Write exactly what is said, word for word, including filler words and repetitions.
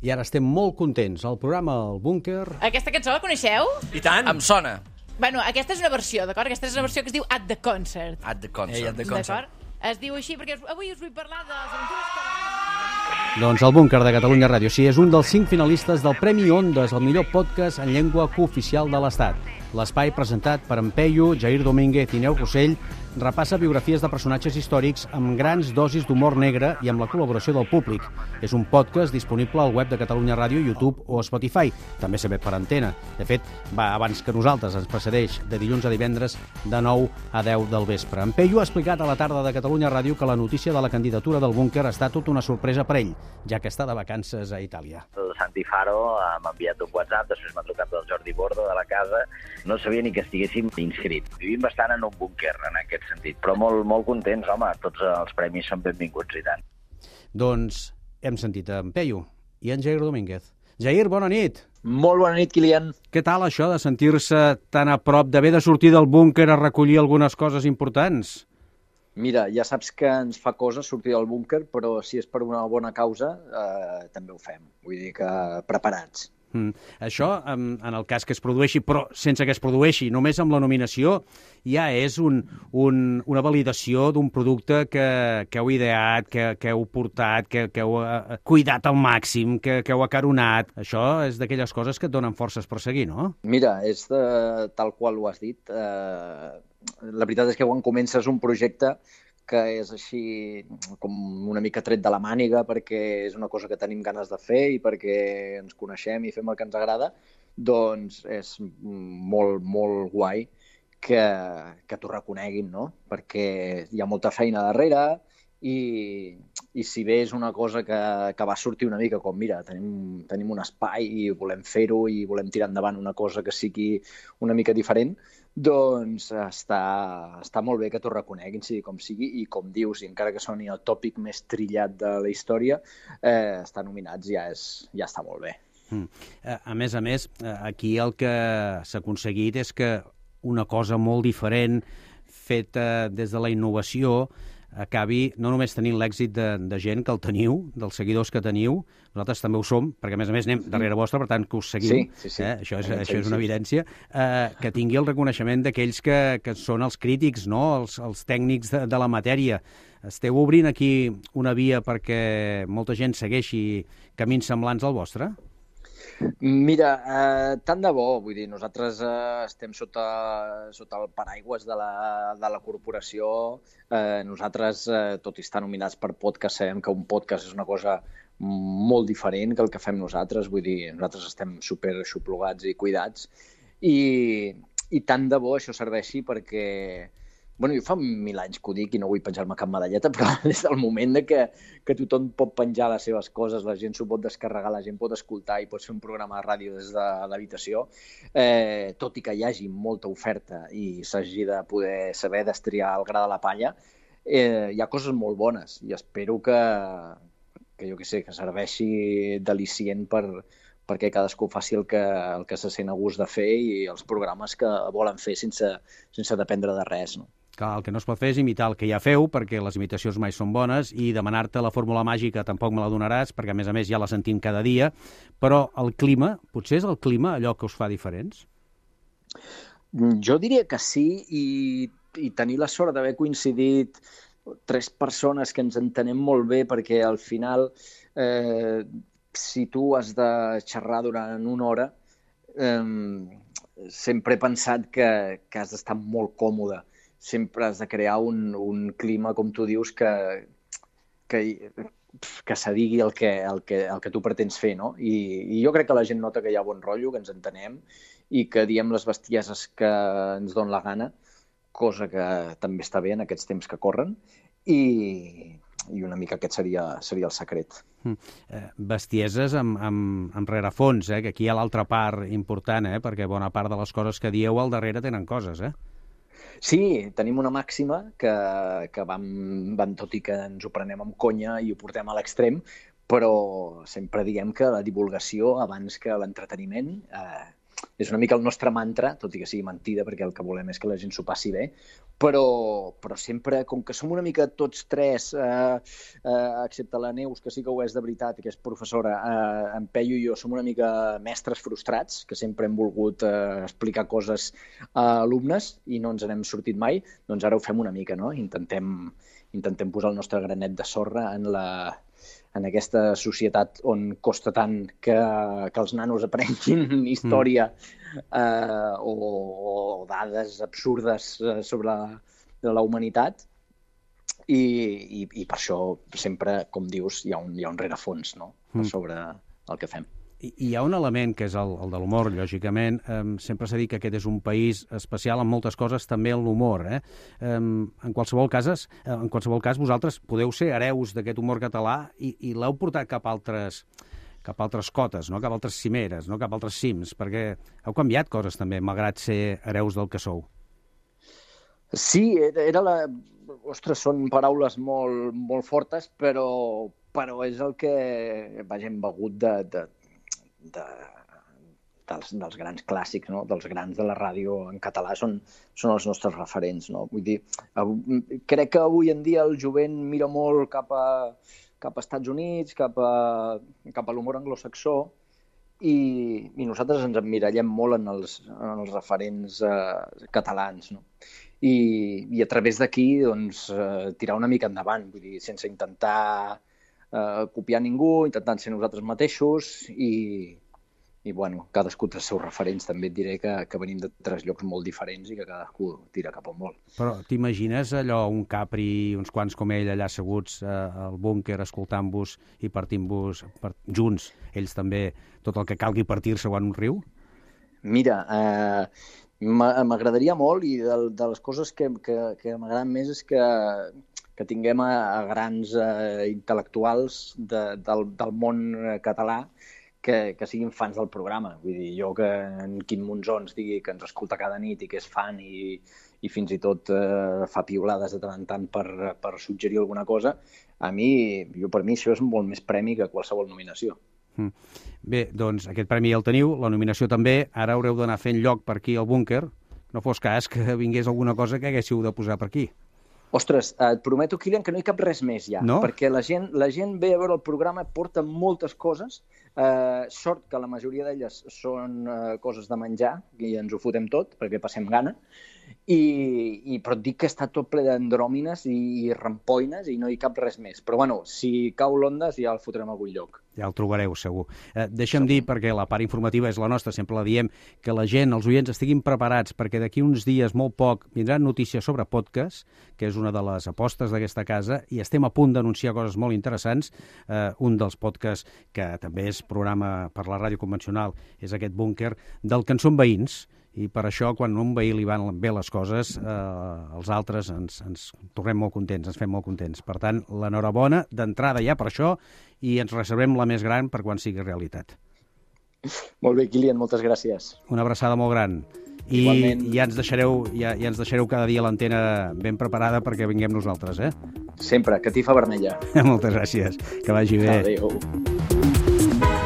I ara estem molt contents. El programa El Búnquer... Aquesta cançó la coneixeu? I tant. Em sona. Bueno, aquesta és una versió, d'acord? Aquesta és una versió que es diu At the Concert. At the Concert. Ei, at the concert. D'acord? Es diu així perquè avui us vull parlar de les aventures que... Doncs el Búnquer de Catalunya Ràdio, sí, és un dels cinc finalistes del Premi Ondes, el millor podcast en llengua cooficial de l'Estat. L'espai presentat per en Peyu, Jair Domínguez i Neus Rossell repassa biografies de personatges històrics amb grans dosis d'humor negre i amb la col·laboració del públic. És un podcast disponible al web de Catalunya Ràdio, YouTube o Spotify. També s'emet per antena. De fet, va abans que nosaltres, ens precedeix de dilluns a divendres de nou a deu del vespre. En Peyu ha explicat a la tarda de Catalunya Ràdio que la notícia de la candidatura del Búnquer ha estat tota una sorpresa per ell, ja que està de vacances a Itàlia. El Santi Faro m'ha enviat un WhatsApp, després m'ha trucat el Jordi Bordo de la casa. No sabia ni que estiguéssim inscrits. Vivim bastant en un búnquer, en aquest sentit, però molt, molt contents, home, tots els premis són benvinguts i tant. Doncs hem sentit en Peyu i en Jair Domínguez. Jair, bona nit! Molt bona nit, Kilian. Què tal això de sentir-se tan a prop, d'haver de sortir del búnquer a recollir algunes coses importants? Mira, ja saps que ens fa cosa sortir del búnquer, però si és per una bona causa, eh, també ho fem. Vull dir que preparats. Mm. Això, en, en el cas que es produeixi, però sense que es produeixi, només amb la nominació, ja és un, un, una validació d'un producte que, que heu ideat, que, que heu portat, que, que heu uh, cuidat al màxim, que, que heu acaronat. Això és d'aquelles coses que et donen forces per seguir, no? Mira, és de, tal qual ho has dit. Eh, la veritat és que quan comences un projecte que és així com una mica tret de la màniga perquè és una cosa que tenim ganes de fer i perquè ens coneixem i fem el que ens agrada, doncs és molt, molt guai que, que t'ho reconeguin, no? Perquè hi ha molta feina darrere i, i si bé és una cosa que, que va sortir una mica com, mira, tenim, tenim un espai i volem fer-ho i volem tirar endavant una cosa que sigui una mica diferent, doncs està, està molt bé que t'ho reconeguin, sigui com sigui, i com dius, i encara que soni el tòpic més trillat de la història, eh, estar nominats ja, és, ja està molt bé. Mm. A més a més, aquí el que s'ha aconseguit és que una cosa molt diferent, feta des de la innovació, acabi no només tenint l'èxit de, de gent que el teniu, dels seguidors que teniu, nosaltres també ho som, perquè a més a més anem darrere vostre, per tant que us seguim, sí, sí, sí. Eh? Això, és, això és una evidència, eh, que tingui el reconeixement d'aquells que, que són els crítics, no? els, els tècnics de, de la matèria. Esteu obrint aquí una via perquè molta gent segueixi camins semblants al vostre? Mira, eh, tant de bo, vull dir, nosaltres eh, estem sota, sota el paraigües de la, de la corporació. Eh, nosaltres, eh, tot i estar nominats per podcast, sabem que un podcast és una cosa molt diferent que el que fem nosaltres. Vull dir, nosaltres estem super aixoplugats i cuidats i, i tant de bo això serveixi perquè... Bueno, jo fa mil anys que ho dic i no vull penjar-me cap medalleta, però des del moment de que, que tothom pot penjar les seves coses, la gent s'ho pot descarregar, la gent pot escoltar i pot fer un programa de ràdio des de l'habitació, eh, tot i que hi hagi molta oferta i s'hagi de poder saber destriar el gra de la palla, eh, hi ha coses molt bones i espero que, que jo què sé, que serveixi d'al·licient per, perquè cadascú faci el que, el que se sent a gust de fer i els programes que volen fer sense, sense dependre de res, no? Clar, el que no es pot fer és imitar el que ja feu, perquè les imitacions mai són bones, i demanar-te la fórmula màgica tampoc me la donaràs, perquè a més a més ja la sentim cada dia, però el clima, potser és el clima allò que us fa diferents? Jo diria que sí, i, i tenir la sort d'haver coincidit tres persones que ens entenem molt bé, perquè al final, eh, si tu has de xerrar durant una hora, eh, sempre he pensat que, que has d'estar molt còmode. Sempre has de crear un, un clima, com tu dius, que, que, que se digui el que, el, que, el que tu pretens fer, no? I, I jo crec que la gent nota que hi ha bon rotllo, que ens entenem i que diem les bestieses que ens don la gana, cosa que també està bé en aquests temps que corren, i, i una mica aquest seria, seria el secret. Mm. Eh, bestieses amb, amb, amb rerefons, eh? Que aquí hi ha l'altra part important, eh? Perquè bona part de les coses que dieu al darrere tenen coses, eh? Sí, tenim una màxima que, que vam, vam, tot i que ens ho prenem amb conya i ho portem a l'extrem, però sempre diem que la divulgació abans que l'entreteniment, eh, és una mica el nostre mantra, tot i que sigui mentida, perquè el que volem és que la gent s'ho passi bé, però, però sempre, com que som una mica tots tres, eh, eh, excepte la Neus, que sí que ho és de veritat, que és professora, eh, en Peyu i jo som una mica mestres frustrats, que sempre hem volgut eh, explicar coses a alumnes i no ens n'hem sortit mai, doncs ara ho fem una mica, no? Intentem, intentem posar el nostre granet de sorra en la... en aquesta societat on costa tant que, que els nanos aprenguin història eh, o, o dades absurdes sobre la, la humanitat i, i, i per això sempre, com dius, hi ha un, hi ha un rerefons, no? Sobre el que fem. I hi ha un element que és el, el de l'humor, lògicament. Um, sempre s'ha dit que aquest és un país especial en moltes coses, també en l'humor. Eh? Um, en qualsevol cases, en qualsevol cas, vosaltres podeu ser hereus d'aquest humor català i, i l'heu portat cap a altres, cap a altres cotes, no? Cap a altres cimeres, no? Cap a altres cims, perquè heu canviat coses també, malgrat ser hereus del que sou. Sí, era la... Ostres, són paraules molt, molt fortes, però, però és el que, vaja, hem begut de... de De, dels, dels grans clàssics, no? Dels grans de la ràdio en català, són, són els nostres referents. No? Vull dir, crec que avui en dia el jovent mira molt cap a, cap a Estats Units, cap a, cap a l'humor anglosaxó, i, i nosaltres ens emmirallem molt en els, en els referents eh, catalans. No? I, I a través d'aquí doncs, eh, tirar una mica endavant, vull dir, sense intentar Uh, copiar ningú, intentant ser nosaltres mateixos i, i bueno, cadascú té els seus referents. També et diré que, que venim de tres llocs molt diferents i que cadascú tira cap on vol. Però t'imagines allò, un Capri, uns quants com ell allà asseguts uh, al búnquer escoltant-vos i partint-vos per, junts, ells també, tot el que calgui partir-se en un riu? Mira, eh, m'agradaria molt i de, de les coses que, que, que m'agraden més és que que tinguem a, a grans eh, intel·lectuals de, del, del món català que, que siguin fans del programa. Vull dir, jo que en Quim Monzó ens digui que ens escolta cada nit i que és fan i, i fins i tot eh, fa piulades de tant en tant per, per suggerir alguna cosa, a mi, jo per mi això és molt més premi que qualsevol nominació. Mm. Bé, doncs aquest premi ja el teniu, la nominació també, ara haureu d'anar fent lloc per aquí al búnquer, no fos cas que vingués alguna cosa que haguéssiu de posar per aquí. Ostres, et prometo, Kilian, que no hi cap res més ja, no? Perquè la gent, la gent ve a veure el programa, porta moltes coses, eh, sort que la majoria d'elles són eh, coses de menjar, i ens ho fotem tot, perquè passem gana, i, i però et dic que està tot ple d'andròmines i, i rampoines i no hi cap res més. Però bueno, si cau l'Ondes ja el fotrem a algun lloc. Ja el trobareu, segur. Eh, deixa'm segur. dir, perquè la part informativa és la nostra, sempre la diem, que la gent, els oients, estiguin preparats, perquè d'aquí uns dies, molt poc, vindran notícies sobre podcast, que és una de les apostes d'aquesta casa, i estem a punt d'anunciar coses molt interessants. Eh, un dels podcasts, que també és programa per la ràdio convencional, és aquest búnquer, del que en són veïns, i per això, quan a un veí li van bé les coses, eh, els altres ens, ens tornem molt contents, ens fem molt contents. Per tant, l'enhorabona d'entrada ja per això, i ens reservem la més gran per quan sigui realitat. Molt bé, Kilian, moltes gràcies. Una abraçada molt gran. I Igualment. ja ens deixareu, ja, ja ens deixareu cada dia l'antena ben preparada perquè vinguem nosaltres, eh? Sempre, catifa vermella. Moltes gràcies, que vagi bé. Adéu.